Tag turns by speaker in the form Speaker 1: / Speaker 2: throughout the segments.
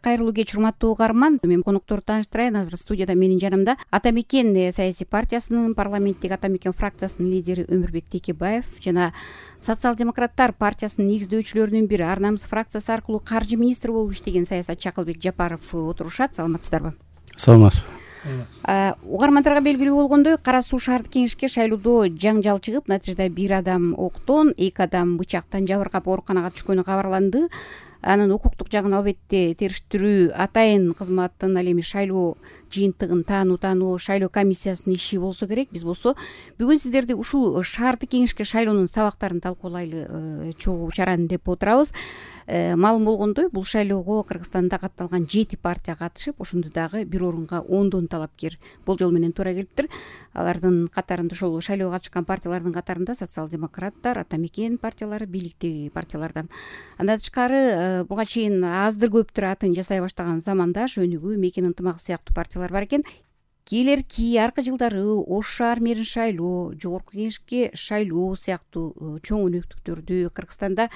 Speaker 1: кайрылуу кеч, урматтуу угарман. Мен конокторду тааныштырайын. Азыр студияда менин жанымда Ата Мекен саясий партиясынын парламенттик Ата Мекен фракциясынын лидери Өмүрбек Текебаев жана Социал-демократтар партиясынын негиздөөчүлөрүнүн бири Ар намыс фракциясы аркылуу каржы министри болуп иштеген саясатчы Акылбек Жапаров отурушат. Саламатсыздарбы?
Speaker 2: Саламатсызбы.
Speaker 1: Угармандарга белгилүү болгондой, Кара Суу шаардык кеңешке шайлоодо жаңжал чыгып, натыйжада бир адам октон, 2 адам бычактан жабыркап ооруканага түшкөнү кабарланды. Анын укуктук жагын албетте териштирүү атайын кызматтын, ал эми шайлоо жыйынтыгын таануу шайлоо комиссиясынын иши болсо керек. Биз болсо бүгүн сиздерди ушул шаардык кеңешке шайлоонун сабактарын талкуулайлы чогуу чараны деп отурабыз. Маалым болгондой, бул шайлоого Кыргызстанда катталган 7 партия катышып, ошондо дагы бир орунга 10 талапкер болжол менен туура келиптир. Алардын катарында, ошол шайлоого катышкан партиялардын катарында Социал-демократтар, Ата Мекен партиялары, бийликтеги партиялардан. Андан тышкары буга чейин аздыр көптүр атын жасай баштаган Замандаш, Өнүгүү, Мекен ынтымагы сыяктуу партиялар бар экен. Келерки аркы жылдары Ош шаар мэрин шайлоо, жогорку кеңешке шайлоо сыяктуу чоң өнөктүктөрдү Кыргызстанда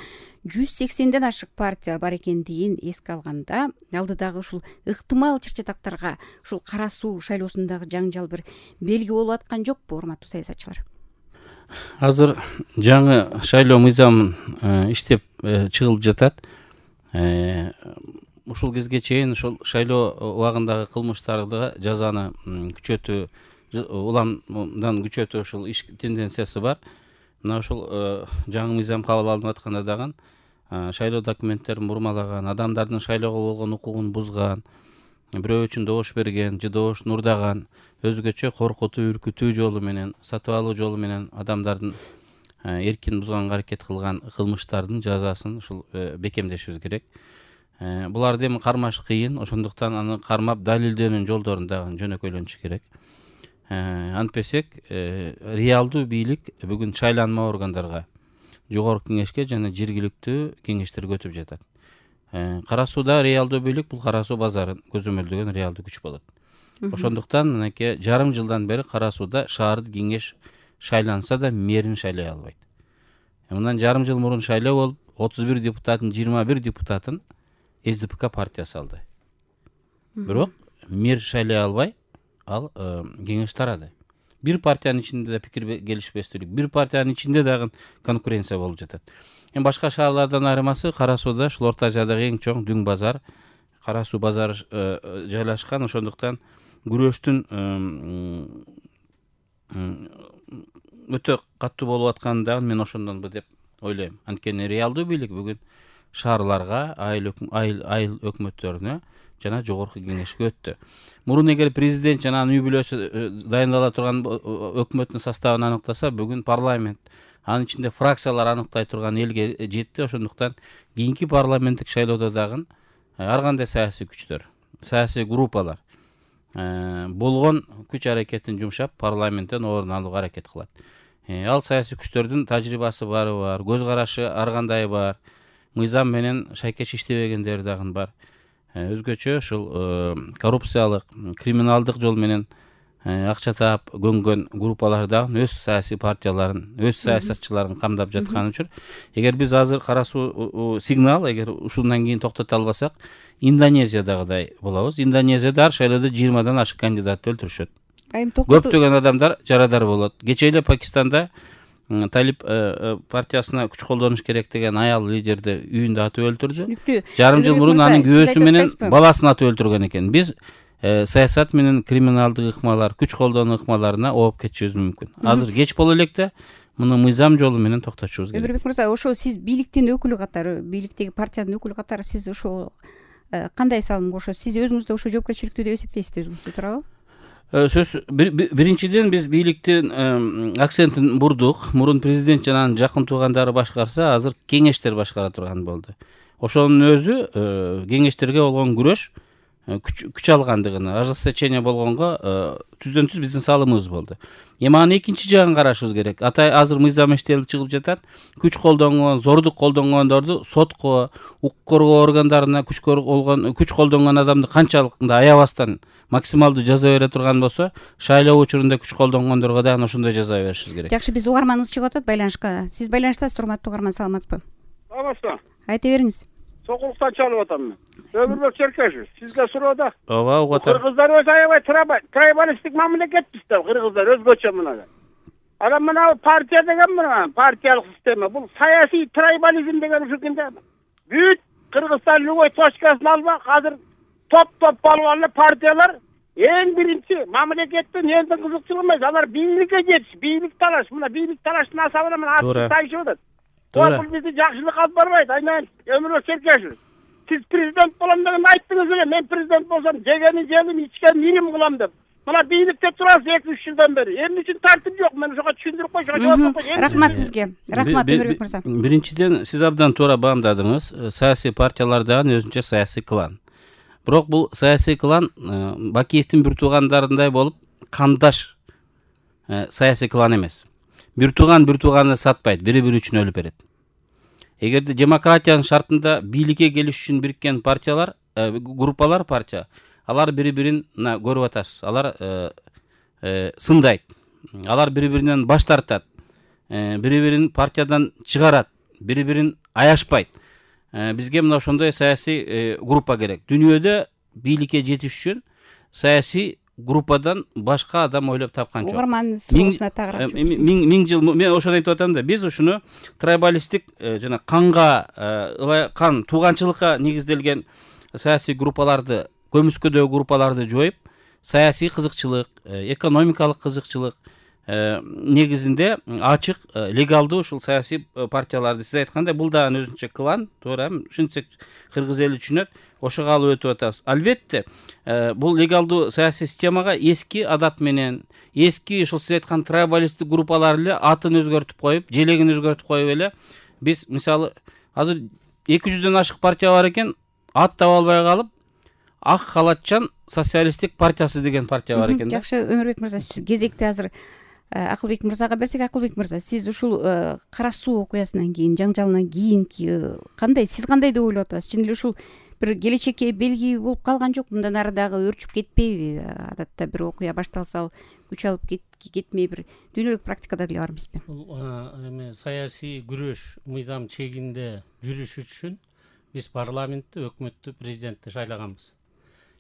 Speaker 1: 180ден ашык партия бар экендигин эске алганда, алдыдагы ушул ыктымал чыр-чатактарга ушул Кара Суу шайлоосундагы жаңжал бир белги болуп аткан жокпу, урматтуу саясатчылар?
Speaker 2: Азыр жаңы шайлоо мыйзамы иштеп чыгылып жатат. Ушул кезге чейин ушул шайлоо убагындагы кылмыштарды жазаны күчөтүү, уламдан күчөтүү ушул иш тенденциясы бар. Мына ушул жаңы мыйзам кабыл алынып атканда дагы шайлоо документтерин бурмалаган, адамдардын шайлоого болгон укугун бузган, бирөө үчүн добуш берген же добушту урдаган, өзгөчө коркутуу, үркүтүү жолу менен, сатып алуу жолу менен адамдардын эркин бузганга аракет кылган кылмыштардын жазасын ушул бекемдешибиз керек. Буларды эми кармаш кыйын, ошондуктан аны кармап далилдөөнүн жолдорун дагы жөнөкөйлөнүш керек. Антпесек, реалдуу бийлик бүгүн шайланма органдарга, жогорку кеңешке жана жергиликтүү кеңештерге өтүп жатат. Кара Сууда реалдуу бийлик бул Кара Суу базарын көзөмөлдөгөн реалдуу күч болот. Ошондуктан мынакей жарым жылдан бери Кара Сууда шаардык кеңеш шайланса да мэрин шайлай албайт. Мындан жарым жыл мурун шайлоо болуп, 31 депутаттын 21 депутатын СДПК партиясы алды. Бирок мэр шайлай албай, ал кеңеш тарады. Бир партиянын ичинде да пикир келишпестүүлүк, бир партиянын ичинде дагы конкуренция болуп жатат. Эми башка шаарлардан айырмасы Кара Сууда ушул Орто Азиядагы эң чоң дүң базар, Кара Суу базары жайлашкан. Ошондуктан күрөштүн өтө катуу болуп атканын дагы мен ошондонбу деп ойлойм. Анткени реалдуу бийлик бүгүн шаарларга, айыл өкмөттөрүнө жана жогорку кеңешке өттү. Мурун эгер президент жана анын үй бүлөсү дайындала турган өкмөттүн составын аныктаса, бүгүн парламент, анын ичинде фракциялар аныктай турган элге жетти. Ошондуктан кийинки парламенттик шайлоодо дагы ар кандай саясий күчтөр, саясий группалар болгон күч аракетин жумшап парламенттен орун алууга аракет кылат. Ал саясий күчтөрдүн тажрыйбасы бары бар, көз карашы ар кандай бар, мыйзам менен шайкеш иштебегендери дагы бар. Өзгөчө ушул коррупциялык, криминалдык жол менен акча таап көнгөн группалар дагы өз саясий партияларын, өз саясатчыларын камдап жаткан үчүн, эгер биз азыр Кара Суу сигнал, эгер ушундан кийин токтото албасак, Индонезиядагыдай болобуз. Индонезияда ар шайлоодо 20дан ашык кандидатты өлтүрүшөт. Көптөгөн адамдар жарадар болот. Кечээ эле Пакистанда Талиб партиясына күч колдонуш керек деген аял лидерди үйүндө атып өлтүрдү. Жарым жыл мурун анын күйөөсү менен баласын атып өлтүргөн экен. Биз саясат менен криминалдык ыкмалар, күч колдонуу ыкмаларына ооп кетишибиз мүмкүн. Азыр кеч боло электе муну мыйзам жолу менен токтотушубуз керек.
Speaker 1: Өмүрбек мырза, ошо сиз бийликтин өкүлү катары, бийликтеги партиянын өкүлү катары сиз ошо кандай салым кошосуз? Сиз өзүңүздү ошо жоопкерчиликтүү деп эсептейсизби өзүңүздү, туурабы?
Speaker 2: Сөз биринчиден биз бийликтин акцентин бурдук. Мурун президент жана анын жакын туугандары башкарса, азыр кеңештер башкара турган болду. Ошонун өзү кеңештерге болгон күрөш күч алгандыгына, ожесточение болгонго түздөн түз биздин салымыбыз болду. Эми анын экинчи жагын карашыбыз керек. Азыр мыйзам иштелип чыгып жатат. Күч колдонгон, зордук колдонгондорду сотко, укук коргоо органдарына күч колдонгон адамды канчалык аябастан максималдуу жаза бере турган болсо, шайлоо учурунда күч колдонгондорго да ошондой жаза беришибиз керек.
Speaker 1: Жакшы, биз угарманыбыз чыгып атат байланышка. Сиз байланыштасыз, урматтуу угарман, саламатсызбы?
Speaker 3: Саламатсызбы?
Speaker 1: Айта бериңиз.
Speaker 3: Сокулуктан чалып атам мен. Өмүрбек Черкешев, сизге суроо да.
Speaker 2: Ооба, угуп атам.
Speaker 3: Кыргыздар өз аябай трайбалисттик мамлекетпиз да, кыргыздар өзгөчө мына. Анан мына партия деген мына партиялык система, бул саясий трайбализм деген ушукинде бүт Кыргызстан любой точкасын албак, азыр топ балган партиялар эң биринчи мамлекеттин эң кызыкчылыгы эмес, алар бийликке жетиш, бийлик талаш, мына бийлик талаштын асабына мына аты тайшып атат. Бул бизди жакшылыкка алып барбайт. Айнан Өмүрбек Черкешев, сиз президент болом деген айттыңыз эле, мен президент болсом жегени жегим, ичкен ирим кылам деп. Мына бийликте турасыз 2-3 жылдан бери. Эмне үчүн тартип жок? Мен ошого түшүндүрүп койчу, жооп койчу.
Speaker 1: Рахмат сизге. Рахмат Өмүрбек мырза.
Speaker 2: Биринчиден, сиз абдан туура баамдадыңыз. Саясий партиялар дагы өзүнчө саясий клан. Бирок бул саясий клан Бакиевдин бир туугандарындай болуп, кандаш саясий клан эмес. Бир тууганды сатпайт, бири-бири үчүн өлүп берет. Эгерде демократиянын шартында бийликке келиш үчүн бириккен партиялар, группалар партия, алар бири-бирин көрүп атасыз. Алар сындайт. Алар бири-биринен баш тартат. Бири-бирин партиядан чыгарат. Бири-бирин аяшпайт. Бизге мына ошондой саясий группа керек. Дүйнөдө бийликке жетиш үчүн саясий группадан башка адам ойлоп тапкан жок.
Speaker 1: Угармандын суроосуна тагыраак.
Speaker 2: Миң жыл мен ошону айтып атам да, биз ушуну трайбалисттик жана кан тууганчылыкка негизделген саясий группаларды, көмүскөдөгү группаларды жоюп, саясий кызыкчылык, экономикалык кызыкчылык негизинде ачык, легалдуу ушул саясий партияларды сиз айткандай бул дагы өзүнчө клан, туура, ушинтсек кыргыз эли түшүнөт, ошого алып өтүп атабыз. Албетте, бул легалдуу саясий системага эски адат менен, эски ушул сиз айткан трайбалисттик группалар эле атын өзгөртүп коюп, желегин өзгөртүп коюп эле биз мисалы азыр 200дөн ашык партия бар экен, ат таба албай калып, Ак халатчан социалисттик партиясы деген партия бар экен да.
Speaker 1: Жакшы, Өмүрбек мырза, кезекти азыр Акылбек мырзага берсек. Акылбек мырза, сиз ушул Кара Суу окуясынан кийин, жаңжалынан кийинки сиз кандай деп ойлоп атасыз? Чын эле ушул бир келечекке белги болуп калган жок? Мындан ары дагы өрчүп кетпейби? Адатта бир окуя башталса күч алып кетмей бир дүйнөлүк практикада деле бар эмеспи?
Speaker 4: Бул эме саясий күрөш мыйзам чегинде жүрүш үчүн биз парламентти, өкмөттү, президентти шайлаганбыз.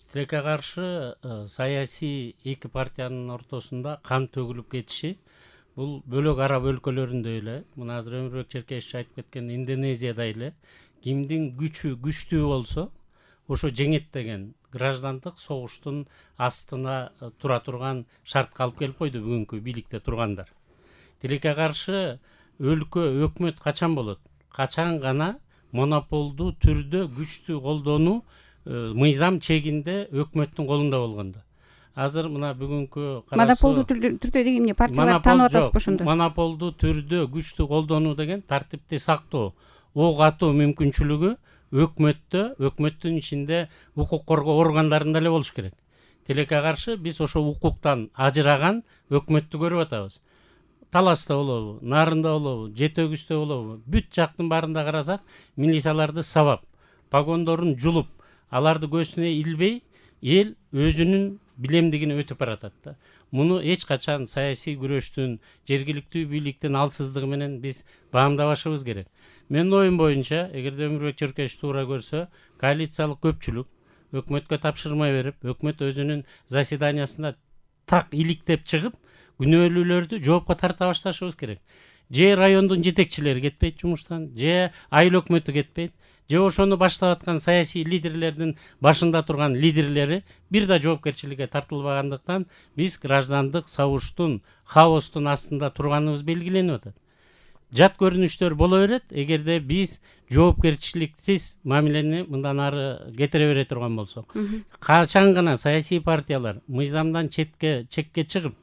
Speaker 4: Тилекке каршы саясий эки партиянын ортосунда кан төгүлүп кетиши бул бөлөк араб өлкөлөрүндө эле, мына азыр Өмүрбек Черкешев айтып кеткен Индонезияда эле кимдин күчү күчтүү болсо ошо жеңет деген граждандык согуштун астына тура турган шартка алып келип койду бүгүнкү бийликте тургандар. Тилекке каршы өлкө, өкмөт качан болот? Качан гана монополдуу түрдө күчтү колдонуу мыйзам чегинде өкмөттүн колунда болгондо. Азыр мына бүгүнкү
Speaker 1: монополдуу түрдө деген эмне? Партиялар таанып атасызбы ошондо?
Speaker 4: Монополдуу түрдө күчтү колдонуу деген тартипти сактоо, ок атуу мүмкүнчүлүгү өкмөттүн ичинде укук коргоо органдарында эле болуш керек. Тилекке каршы биз ошо укуктан ажыраган өкмөттү көрүп атабыз. Таласта болобу, Нарында болобу, Жети Өгүздө болобу, бүт жактын баарында карасак, милицияларды сабап, погондорун жулуп, аларды көзүнө илбей, эл өзүнүн билемдигин өтүп баратат да. Муну эч качан саясий күрөштүн, жергиликтүү бийликтин алсыздыгы менен биз баамдабашыбыз керек. Менин оюм боюнча, эгерде Өмүрбек Черкешев туура көрсө, коалициялык көпчүлүк өкмөткө тапшырма берип, өкмөт өзүнүн заседаниясында так иликтеп чыгып, күнөөлүүлөрдү жоопко тарта башташыбыз керек. Же райондун жетекчилери кетпейт жумуштан, же айыл өкмөтү кетпейт, же ошону баштап аткан саясий лидерлердин башында турган лидерлери бир да жоопкерчиликке тартылбагандыктан биз граждандык согуштун, хаостун астында турганыбыз белгиленип атат. Жат көрүнүштөр боло берет, эгерде биз жоопкерчиликсиз мамилени мындан ары кетире бере турган болсок. Качан гана саясий партиялар мыйзамдан чекке чыгып,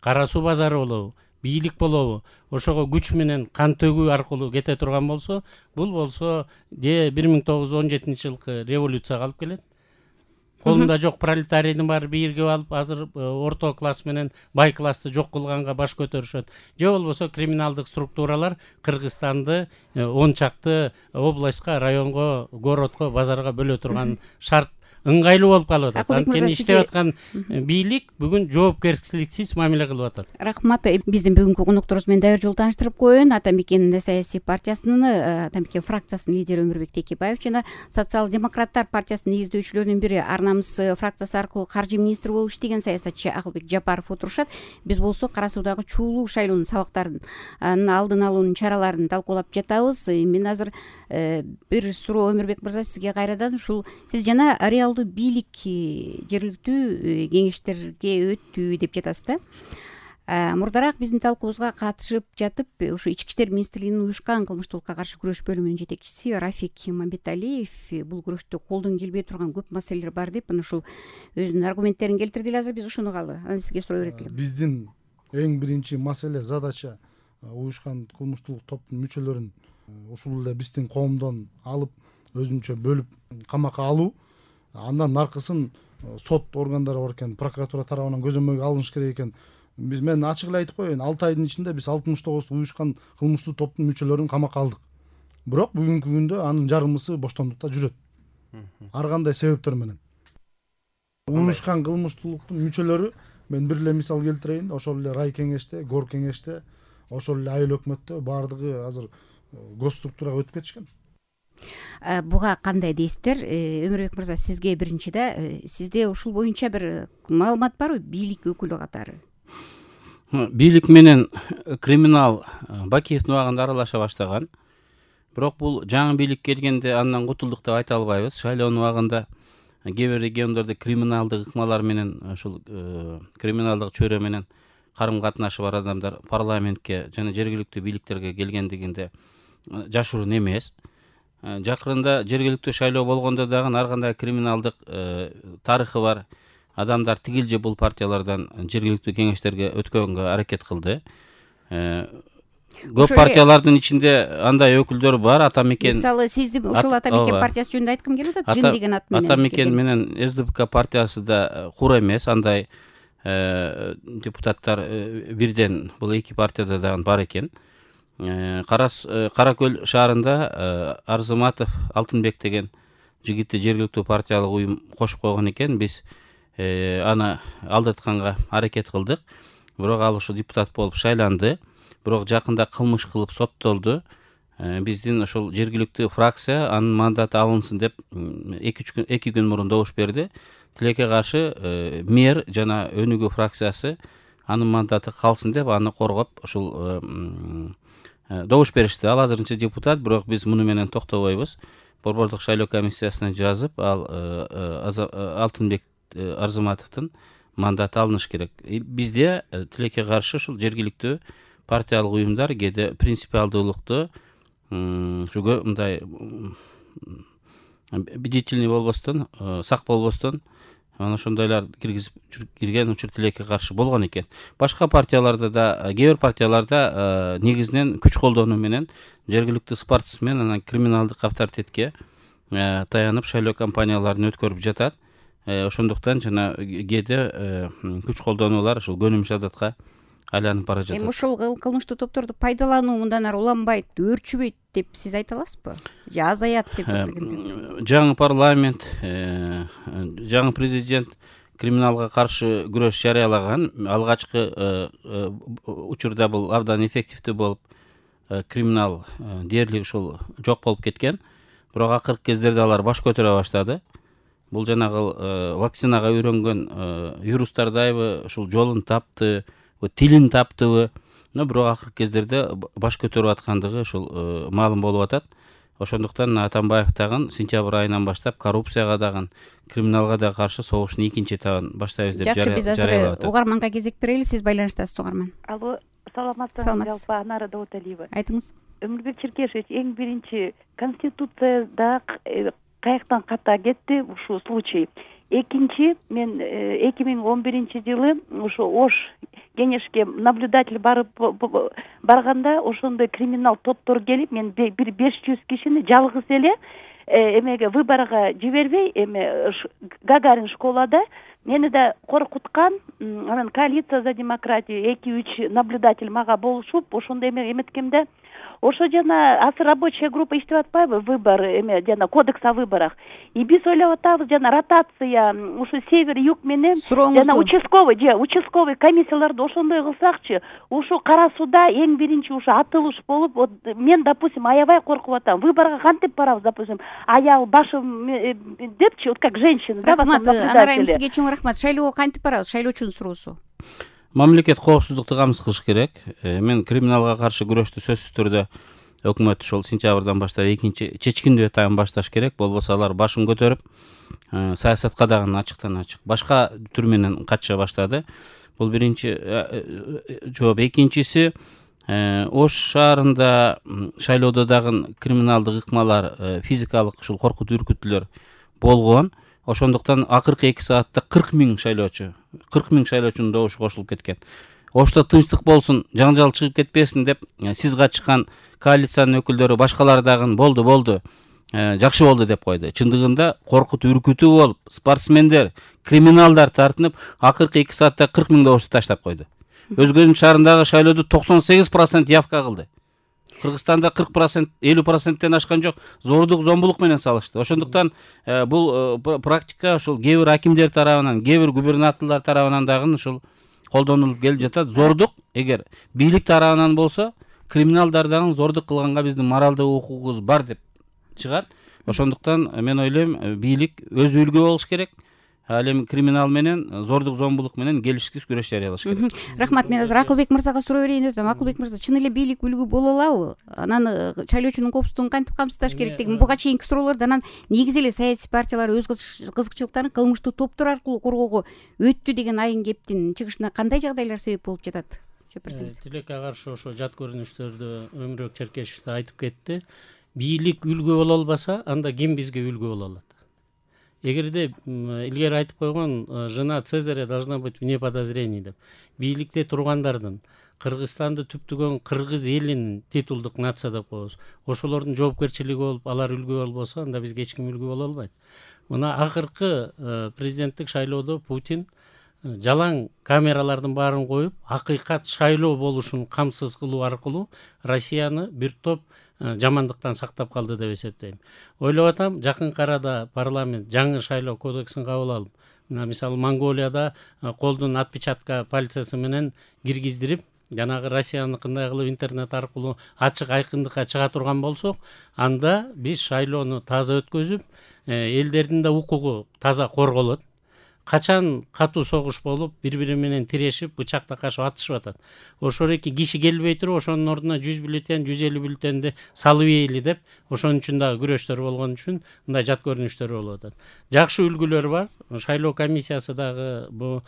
Speaker 4: Кара Суу базары болобу, бийлик болобу, ошого күч менен кан төгүү аркылуу кете турган болсо, бул болсо 1917 жылкы революцияга алып келет. Колунда жок пролетарийдин баары биригип алып, азыр орто класс менен бай классты жок кылганга баш көтөрүшөт. Же болбосо криминалдык структуралар Кыргызстанды 10 чакты областка, районго, городко, базарга бөлө турган шарт ыңгайлуу болуп калып атат.
Speaker 1: Акылбек мырза,
Speaker 4: Анткени иштеп аткан бийлик бүгүн жоопкерчиликсиз мамиле кылып атат.
Speaker 1: Рахмат. Биздин бүгүнкү конокторубуз менен дайыр жолу тааныштырып коеюн. Атамекен саясий партиясынын Атамекен фракциясынын лидери Өмүрбек Текебаев жана Социал-демократтар партиясынын негиздөөчүлөрүнүн бири Ар намыс фракциясы аркылуу каржы министри болуп иштеген саясатчы Акылбек Жапаров отурушат. Биз болсо Кара Суудагы чуулуу шайлоонун сабактарын алдын алуунун чараларын талкуулап жатабыз. Мен азыр бир суроо Өмүрбек мырза сизге кайрадан, ушул сиз жана реалдуу бийлик жергиликтүү кеңештерге өттү деп жатасыз да. Мурдараак биздин талкуубузга катышып жатып, ушу Ички иштер министрлигинин уюшкан кылмыштуулукка каршы күрөш бөлүмүнүн жетекчиси Рафик Мамбеталиев бул күрөштө колдон келбей турган көп маселелер бар деп, ушул өзүнүн аргументтерин келтирди эле. Азыр биз ушуну угалы. Анан сизге суроо берет элем.
Speaker 5: Биздин эң биринчи маселе, задача уюшкан кылмыштуулук топтун мүчөлөрүн ушул эле биздин коомдон алып, өзүнчө бөлүп камакка алуу. Андан аркысын сот органдары бар экен, прокуратура тарабынан көзөмөлгө алыныш керек экен. Мен ачык эле айтып коеюн, 6 айдын ичинде биз 69 уюшкан кылмыштуу топтун мүчөлөрүн камакка алдык. Бирок бүгүнкү күндө анын жарымысы боштондукта жүрөт. Ар кандай себептер менен. Уюшкан кылмыштуулуктун мүчөлөрү, мен бир эле мисал келтирейин, ошол эле рай кеңеште, гор кеңеште, ошол эле айыл өкмөттө баардыгы азыр госструктурага өтүп кетишкен.
Speaker 1: Буга кандай дейсиздер? Өмүрбек мырза, сизге биринчи да, сизде ушул боюнча бир маалымат барбы бийлик өкүлү катары?
Speaker 2: Бийлик менен криминал Бакиевдин убагында аралаша баштаган. Бирок бул жаңы бийлик келгенде андан кутулдук деп айта албайбыз. Шайлоонун убагында кээ бир региондордо криминалдык ыкмалар менен, ушул криминалдык чөйрө менен карым катнашы бар адамдар парламентке жана жергиликтүү бийликтерге келгендигинде жашыруун эмес. Жакырында жергиликтүү шайлоо болгондо дагы ар кандай криминалдык тарыхы бар адамдар тигил же бул партиялардан жергиликтүү кеңештерге өткөнгө аракет кылды. Көп партиялардын ичинде андай өкүлдөр бар. Атамекен,
Speaker 1: мисалы сизди ушул Атамекен партиясы жөнүндө айткым келип атат. Жин деген ат менен
Speaker 2: Атамекен менен СДПК партиясы да кур эмес. Андай депутаттар бирден бул эки партияда дагы бар экен. Кара Көл шаарында Арзыматов Алтынбек деген жигитти жергиликтүү партиялык уюм кошуп койгон экен. Биз аны алдыртканга аракет кылдык. Бирок ал ушу депутат болуп шайланды. Бирок жакында кылмыш кылып соттолду. Биздин ошол жергиликтүү фракция анын мандаты алынсын деп 2 күн мурун добуш берди. Тилекке каршы мэр жана Өнүгүү фракциясы анын мандаты калсын деп аны коргоп ушул добуш беришти. Ал азырынча депутат, бирок биз муну менен токтобойбуз. Борбордук шайлоо комиссиясына жазып, ал Алтынбек Арзыматовдун мандаты алыныш керек. Бизде тилекке каршы ушул жергиликтүү партиялык уюмдар кээде принципиалдуулукту мындай бдительный болбостон, сак болбостон ana ошондойлар кирген учур тилекке каршы болгон экен. Башка партияларда да, кээ бир партияларда негизинен күч колдонуу менен жергиликтүү спортсмен анан криминалдык авторитетке таянып шайлоо кампанияларын өткөрүп жатат. Ошондуктан жана кээде күч колдонуулар ушул көнүмүш адатка айланып бара жатат.
Speaker 1: Ушул кылмыштуу топторду пайдалануу мындан ары уланбайт, өөрчүбөйт деп сиз айта аласызбы? Же азаят деп
Speaker 2: жаңы парламент, жаңы президент криминалга каршы күрөш жарыялаган. Алгачкы учурда бул абдан эффективдүү болуп, криминал дээрлик ушул жок болуп кеткен. Бирок акыркы кездерде алар баш көтөрө баштады. Бул жанагы вакцинага үйрөнгөн вирустардайбы ушул жолун тапты, тилин таптыбы. Бирок акыркы кездерде баш көтөрүп аткандыгы ушул маалым болуп атат. Ошондуктан Атамбаев дагы сентябрь айынан баштап коррупцияга дагы, криминалга да каршы согуштун экинчи этабын баштайбыз деп жарыялап атат.
Speaker 1: Жакшы, биз азыр угарманга кезек берели. Сиз байланыштасыз, угарман.
Speaker 6: Алло, саламатсызбы? Жалпы Анара Дауталиева.
Speaker 1: Айтыңыз.
Speaker 6: Өмүрбек Черкешевич, эң биринчи конституцияда каяктан ката кетти ушул случай. Экинчи, мен 2011-жылы ушу Ош кеңешке наблюдатель барганда ошондой криминал топтор келип, мен бир 500 кишини жалгыз эле эмеге выборга жибербей, Гагарин школада мени да коркуткан. Анан коалиция за демократию 2-3 наблюдатель мага болушуп, ошондой эметкенде ошо жана азыр рабочая группа иштеп атпайбы, выбор эме жана кодекс о выборах. И биз ойлоп атабыз жана ротация ушу север юг менен жана участковый комиссияларды ошондой кылсакчы, ушу Кара Сууда эң биринчи ушу атылыш болуп, мен допустим аябай коркуп атам. Выборго кантип барабыз, допустим, аял башым депчи, вот как женщина, да,
Speaker 1: Анарайым, сизге чоң рахмат. Шайлоого кантип барабыз? Шайлоочунун суроосу.
Speaker 2: Мамлекет коопсуздукту камсыз кылыш керек. Мен криминалга каршы күрөштү сөзсүз түрдө өкмөт ошол сентябрдан баштап экинчи чечкиндүү этабын башташ керек. Болбосо алар башын көтөрүп саясатка дагы ачыктан ачык башка түр менен кача баштады. Бул биринчи жооп. Экинчиси, Ош шаарында шайлоодо дагы криминалдык ыкмалар, физикалык ушул коркут үркүтүүлөр болгон. Ошондуктан акыркы 2 саатта 40 000 шайлоочунун добушу кошулуп кеткен. Ошто тынчтык болсун, жаңжал чыгып кетпесин деп сиз катышкан коалициянын өкүлдөрү башкалар дагы болду, жакшы болду деп койду. Чындыгында коркут үркүтүү болуп, спортсмендер, криминалдар тартынып, акыркы 2 саатта 40 000 добушту таштап койду. Өзгөчүн шаарындагы шайлоодо 98% явка кылды. Кыргызстанда 40%, 50%тен ашкан жок, зордук, зомбулук менен салышты. Ошондуктан бул практика ошол кээ бир акимдер тарабынан, кээ бир губернаторлор тарабынан дагы ушул колдонулуп келип жатат. Зордук, эгер бийлик тарабынан болсо, криминалдар дагы зордук кылганга биздин моралдык укугубуз бар деп чыгат. Ошондуктан мен ойлойм, бийлик өзү үлгү болуш керек. Ал эми криминал менен, зордук, зомбулук менен келишсиз күрөш жарыялаш керек.
Speaker 1: Рахмат. Мен азыр Акылбек мырзага суроо берейин деп атам. Акылбек мырза, чын эле бийлик үлгү боло алабы? Анан шайлоочунун коопсуздугун кантип камсыздаш керек деген буга чейинки суроолорду анан негизи эле саясий партиялар өз кызыкчылыктарын кылмыштуу топтор аркылуу коргоого өттү деген айын кептин чыгышына кандай жагдайлар себеп болуп жатат? Жооп берсеңиз.
Speaker 4: Тилекке каршы ошо жат көрүнүштөрдү Өмүрбек Черкешев да айтып кетти. Бийлик үлгү боло албаса, анда ким бизге үлгү боло алат? Эгерде илгери айтып койгон жена Цезаря должна быть вне подозрений деп. Бийликте тургандардын, Кыргызстанды түптөгөн кыргыз элинин титулдук нация деп коебуз. Ошолордун жоопкерчилиги болуп, алар үлгү болбосо, анда бизге эч ким үлгү боло албайт. Мына акыркы президенттик шайлоодо Путин жалаң камералардын баарын коюп, акыйкат шайлоо болушун камсыз кылуу аркылуу Россияны бир топ жамандыктан сактап калды деп эсептейм. Ойлоп атам, жакынкы арада парламент жаңы шайлоо кодексин кабыл алып, мисалы Монголияда колдун отпечатка пальцеси менен киргиздирип, жанагы Россияныкындай кылып интернет аркылуу ачык айкындыкка чыга турган болсок, анда биз шайлоону таза өткөзүп, элдердин да укугу таза корголот. Качан катуу согуш болуп, бири-бири менен тирешип, бычак такашып атышып атат. Ошол эки киши келбей туруп, ошонун ордуна 100 бюллетень, 150 бюллетенди салып ийели деп, ошонун үчүн дагы күрөштөр болгон үчүн мындай жат көрүнүштөр болуп атат. Жакшы үлгүлөр бар. Шайлоо комиссиясы дагы бу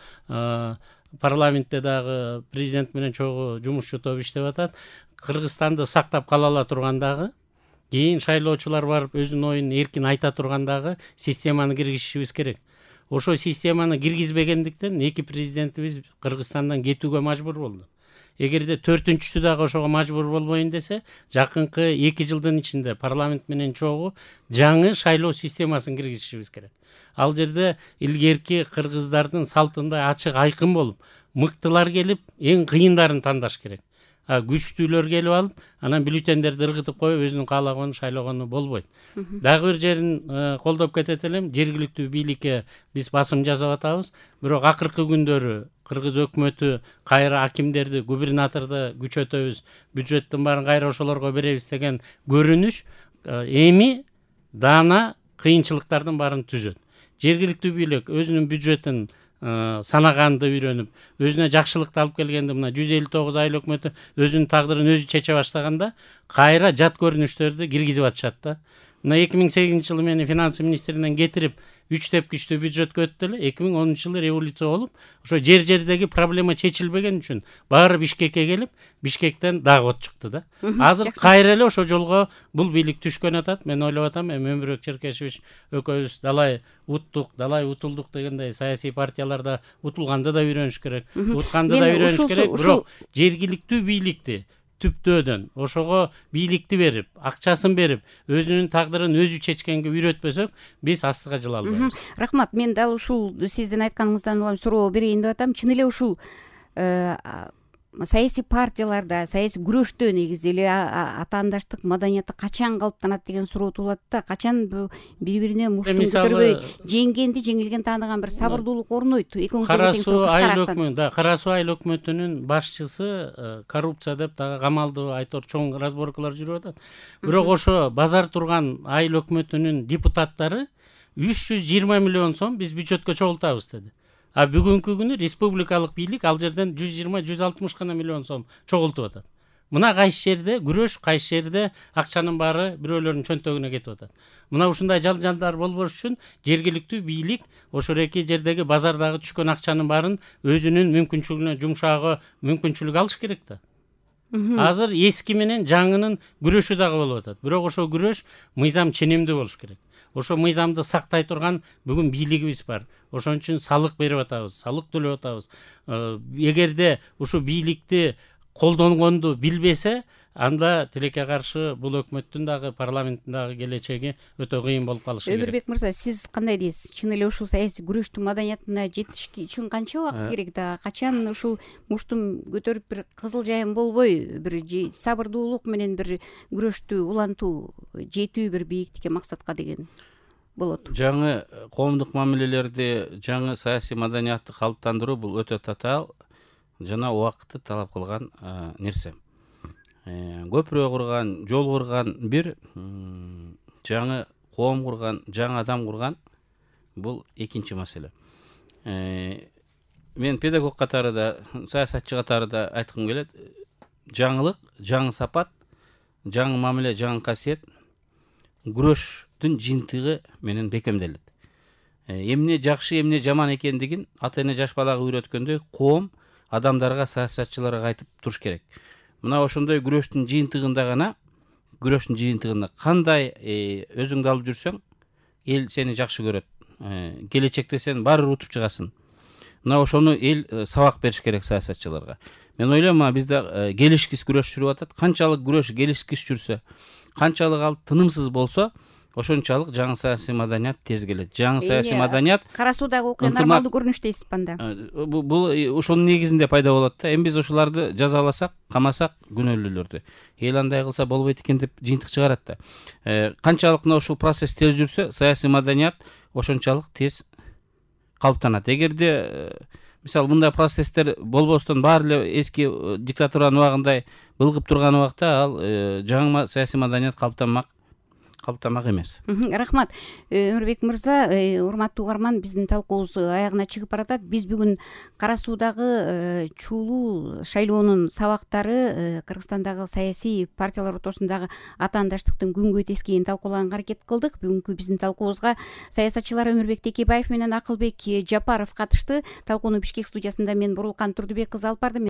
Speaker 4: парламентте дагы президент менен чогуу жумушчу топ иштеп атат. Кыргызстанды сактап кала ала тургандагы, кийин шайлоочулар барып өзүнүн оюн эркин айта тургандагы системаны киргизишибиз керек. Ошо системаны киргизбегендиктен эки президентибиз Кыргызстандан кетүүгө мажбур болду. Эгерде 4-чүсү дагы ошого мажбур болбойн десе, жакынкы 2 жылдын ичинде парламент менен чогуу жаңы шайлоо системасын киргизишибиз керек. Ал жерде илгерки кыргыздардын салтындай ачык айкын болуп, мыктылар келип, эң кыйындарын тандаш керек. Күчтүүлөр келип алып, анан бюллетендерди ыргытып коюп, өзүнүн каалаганын шайлогону болбойт. Дагы бир жерин колдоп кетет элем, жергиликтүү бийликке биз басым жасап атабыз, бирок акыркы күндөрү кыргыз өкмөтү кайра акимдерди, губернаторду күчөтөбүз, бюджеттин баарын кайра ошолорго беребиз деген көрүнүш эми даана кыйынчылыктардын баарын түзөт. Жергиликтүү бийлик өзүнүн бюджетин санаганды үйрөнүп, өзүнө жакшылыкты алып келгенде, мына 159 айыл өкмөтү өзүнүн тагдырын өзү чече баштаганда, кайра жат көрүнүштөрдү киргизип атышат да. Мына 2008-жылы мени финансы министринен кетирип, 3 тепкичтүү бюджетке өттү эле. 2010-жылы революция болуп, ошо жер-жердеги проблема чечилбеген үчүн баары Бишкекке келип, Бишкектен дагы от чыкты да. Азыр кайра эле ошо жолго бул бийлик түшкөн атат. Мен ойлоп атам, Өмүрбек Черкешевич экөөбүз далай уттук, далай утулдук дегендей саясий партияларда утулганды да үйрөнүш керек, утканды да үйрөнүш керек. Бирок жергиликтүү бийликти түптөөдөн ошого бийликти берип, акчасын берип, өзүнүн тагдырын өзү чечкенге үйрөтпөсөк, биз астыга жыла албайбыз.
Speaker 1: Рахмат. Мен дал ушул сиздин айтканыңыздан суроо берейин деп атам. Чын эле ушул саясий партияларда, саясий күрөштө негизи эле атаандаштык маданияты качан калыптанат деген суроо туулат да. Качан бири бирине муштун көтөрбөй жеңгенди, жеңилген тааныган бир сабырдуулук орнойт.
Speaker 4: Кара Суу Айыл өкмөтүнүн башчысы коррупция деп дагы камалды, айтор чоң разборкалар жүрүп атат. Бирок ошо базар турган айыл өкмөтүнүн депутаттары 320 миллион сом биз бюджетке чогултабыз деди. А бүгүнкү күнү республикалык бийлик ал жерден 120-160 гана миллион сом чогултуп атат. Мына кайсы жерде күрөш, кайсы жерде акчанын баары бирөөлөрдүн чөнтөгүнө кетип атат. Мына ушундай жалжандар болбош үчүн жергиликтүү бийлик ошол эки жердеги базардагы түшкөн акчанын баарын өзүнүн мүмкүнчүлүгүнө жумшаагы мүмкүнчүлүк алыш керек да. Азыр эски менен жаңынын күрөшү дагы болуп атат. Бирок ошол күрөш мыйзам ченемдүү болуш керек. Ошо мыйзамды сактай турган бүгүн бийлигибиз бар. Ошон үчүн салык берип атабыз, салык төлөп атабыз. Эгерде ушу бийликти колдонгонду билбесе, анда тилекке каршы бул өкмөттүн дагы парламенттин дагы келечеги өтө кыйын болуп калышы керек.
Speaker 1: Өмүрбек мырза, сиз кандай дейсиз? Чын эле ушул саясий күрөштүн маданиятына жетиш үчүн канча убакыт керек да? Качан ушул муштун көтөрүп бир кызыл жайын болбой, бир сабырдуулук менен бир күрөштү улантуу, жетүү бир бийиктикке, максатка деген болот?
Speaker 2: Жаңы коомдук мамилелерди, жаңы саясий маданиятты калыптандыруу бул өтө татаал жана убакытты талап кылган нерсе. Көпүрө курган, жол курган бир, жаңы коом курган, жаңы адам курган бул экинчи маселе. Мен педагог катарында, саясатчы катарында айткым келет, жаңылык, жаңы сапат, жаңы мамиле, жаңы касиет күрөштүн жыйынтыгы менен бекемделет. Эмне жакшы, эмне жаман экендигин ата-эне жаш балага үйрөткөндөй, коом адамдарга, саясатчыларга айтып туруш керек. Мына ошондой күрөштүн жыйынтыгында гана, күрөштүн жыйынтыгында кандай өзүңдү алып жүрсөң, эл сени жакшы көрөт. Келечекте сен баары утуп чыгасың. Мына ошону эл сабак бериш керек саясатчыларга. Мен ойлойм, бизде келишкис күрөш жүрүп атат. Канчалык күрөш келишкис жүрсө, канчалык ал тынымсыз болсо, ошончалык жаңы саясий маданият тез келет. Жаңы саясий маданият
Speaker 1: Кара Суудагы окуя нормалдуу көрүнүш дейсиз анда.
Speaker 2: Бул ошонун негизинде пайда болот да. Эми биз ошоларды жазаласак, камасак күнөөлүүлөрдү, эл андай кылса болбойт экен деп жыйынтык чыгарат да. Канчалык ушул процесс тез жүрсө, саясий маданият ошончалык тез калыптанат. Эгерде мисалы мындай процесстер болбостон баары эле эски диктатуранын убагындай былгып турган убакта ал жаңы саясий маданият калыптанмак эмес.
Speaker 1: Рахмат. Өмүрбек мырза, урматтуу угарман, биздин талкуубуз аягына чыгып баратат. Биз бүгүн Кара Суудагы чуулуу шайлоонун сабактары, Кыргызстандагы саясий партиялар ортосундагы атаандаштыктын күнгөй тескейин талкуулаганга аракет кылдык. Бүгүнкү биздин талкуубузга саясатчылар Өмүрбек Текебаев менен Акылбек Жапаров катышты. Талкууну Бишкек студиясында мен Бурулкан Турдубек кызы алып бардым.